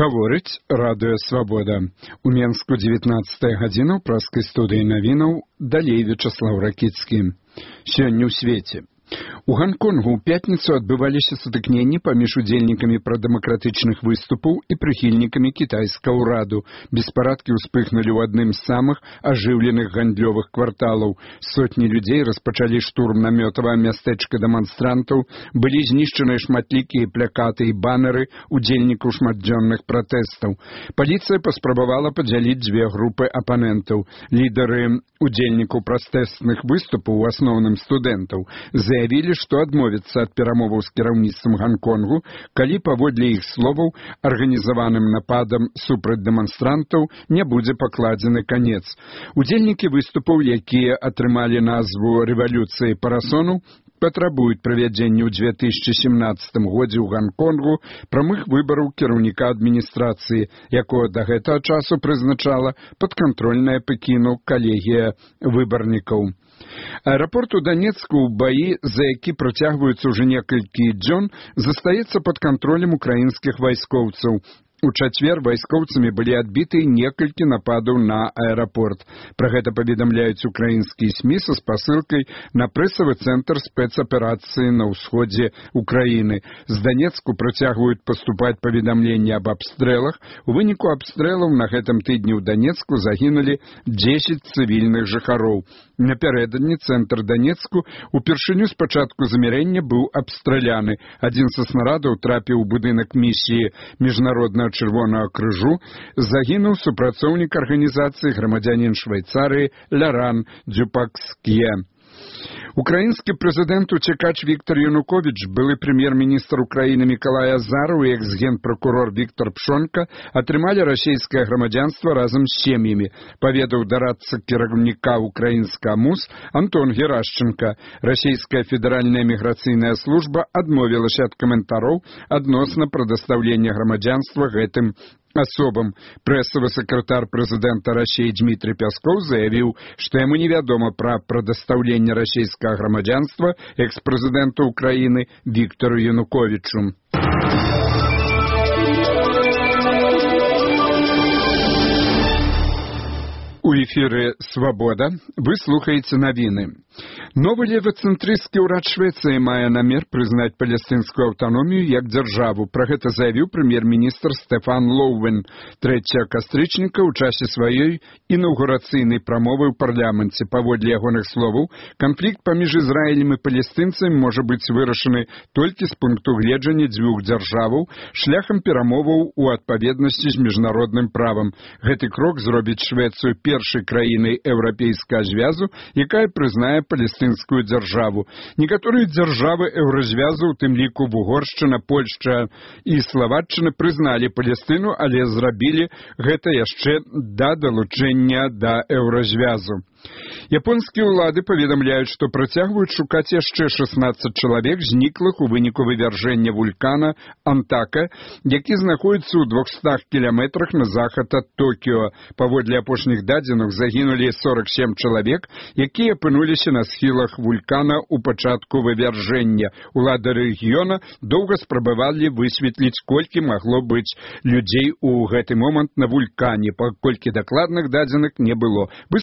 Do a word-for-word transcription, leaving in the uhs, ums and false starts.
Гаворыць радыё «Свабода». У Менску дзевятнаццатая гадзіна ў праскай студыі навінаў, далей Вячаслаў Ракіцкі. Сёння ў свеце. У Ганконгу ў пятніцу адбываліся сутыкненні паміж удзельнікамі прадэмакратычных выступаў і прыхільнікамі кітайскага ўраду. Беспарадкі ўспыхнулі ў адным з самых ажыўленых гандлёвых кварталаў. Сотні людзей распачалі штурм намётавага мястэчка дэманстрантаў, былі знішчаныя шматлікія плакаты і банеры удзельнікаў шматдзённых пратэстаў. Паліцыя паспрабавала падзяліць дзве групы апанентаў. Лідары удзельнікаў пратэстных выступаў, у асноўным студэнтаў, заявілі, што адмовяцца ад перамоваў з кіраўніцтвам Ганконгу, калі, паводле іх словаў, арганізаваным нападам супраць дэманстрантаў не будзе пакладзены канец. Удзельнікі выступаў, якія атрымалі назву рэвалюцыі парасону, патрабуюць правядзення ў дзве тысячы сямнаццатым годзе ў Ганконгу прамых выбараў кіраўніка адміністрацыі, якога да гэтага часу прызначала падкантрольная Пекіну калегія выбарнікаў. Аэрапорт у Донецку, ў баі, за які працягваюцца ўжо некалькі дзён, застаецца пад кантролем украінскіх вайскоўцаў. У чацвер вайскоўцамі былі адбіты некалькі нападаў на аэрапорт. Пра гэта паведамляюць украінскія СМІ са спасылкай на прэсавы цэнтр спецаперацыі на ўсходзе Украіны. З Донецку працягваюць паступаць паведамленні аб абстрэлах. У выніку абстрэлаў на гэтым тыдні ў Донецку загінулі дзесяць цывільных жыхароў. Напярэдадні цэнтр Донецку упершыню з пачатку замірэння быў абстраляны. Адзін са снарадаў трапіў у будынак місіі міжнароднага Чырвонага крыжу, загінуў супрацоўнік арганізацыі грамадзянін Швейцарыі Ляран Дзюпакск'е. Украінскі прэзідэнт уцекач Віктор Януковіч, былы прэм'ер-міністр Украіны Мікалай Азараў і экс-генпракурор Віктор Пшонка атрымалі расійскае грамадзянства разам з сем'ямі, паведаў дарадца кіраўніка украінскага МУС Антон Герашченка. Расійская федэральная міграцыйная служба адмовілася ад каментароў адносна прадастаўлення грамадзянства гэтым асобам. Прэсавы сакратар прэзідэнта Расіі Дмітрий Пяскоў заявіў, што яму невядома пра прадастаўленне расійскага грамадзянства экс-прэзідэнту Украіны Віктору Януковічу. У эфіры «Свабода» вы слухаеце навіны. Новы левацэнтрысцкі ўрад Швецыі мае намер прызнаць палестынскую аўтаномію як дзяржаву. Пра гэта заявіў прэм'ер-міністр Стэфан Лоўвен трэцяга кастрычніка ў часе сваёй інаўгурацыйнай прамовы ў парламенце. Паводле ягоных словаў, канфлікт паміж Ізраілем і палестынцамі можа быць вырашаны толькі з пункту гледжання дзвюх дзяржаваў шляхам перамоваў у адпаведнасці з міжнародным правам. Гэты крок зробіць Швецыю першай краінай еўрапейскага звязу, якая прызнае палестынскую дзяржаву. Некаторыя дзяржавы еўразвязу, у тым ліку Угоршчына, Польшча і Славаччына, прызналі Палестыну, але зрабілі гэта яшчэ да далучэння да еўразвязу. Японскія ўлады паведамляюць, што працягваюць шукаць яшчэ шэснаццаць чалавек, зніклых у выніку вывяржэння вулкана Антака, які знаходзіцца ў двухстах кіламетрах на захад ад Токіо. Паводле апошніх дадзеных загінулі сорак сем чалавек, якія апынуліся на схілах вулкана ў пачатку вывяржэння. Улады рэгіёна доўга спрабавалі высветліць, колькі магло быць людзей у гэты момант на вулкане, паколькі дакладных дадзеных не было.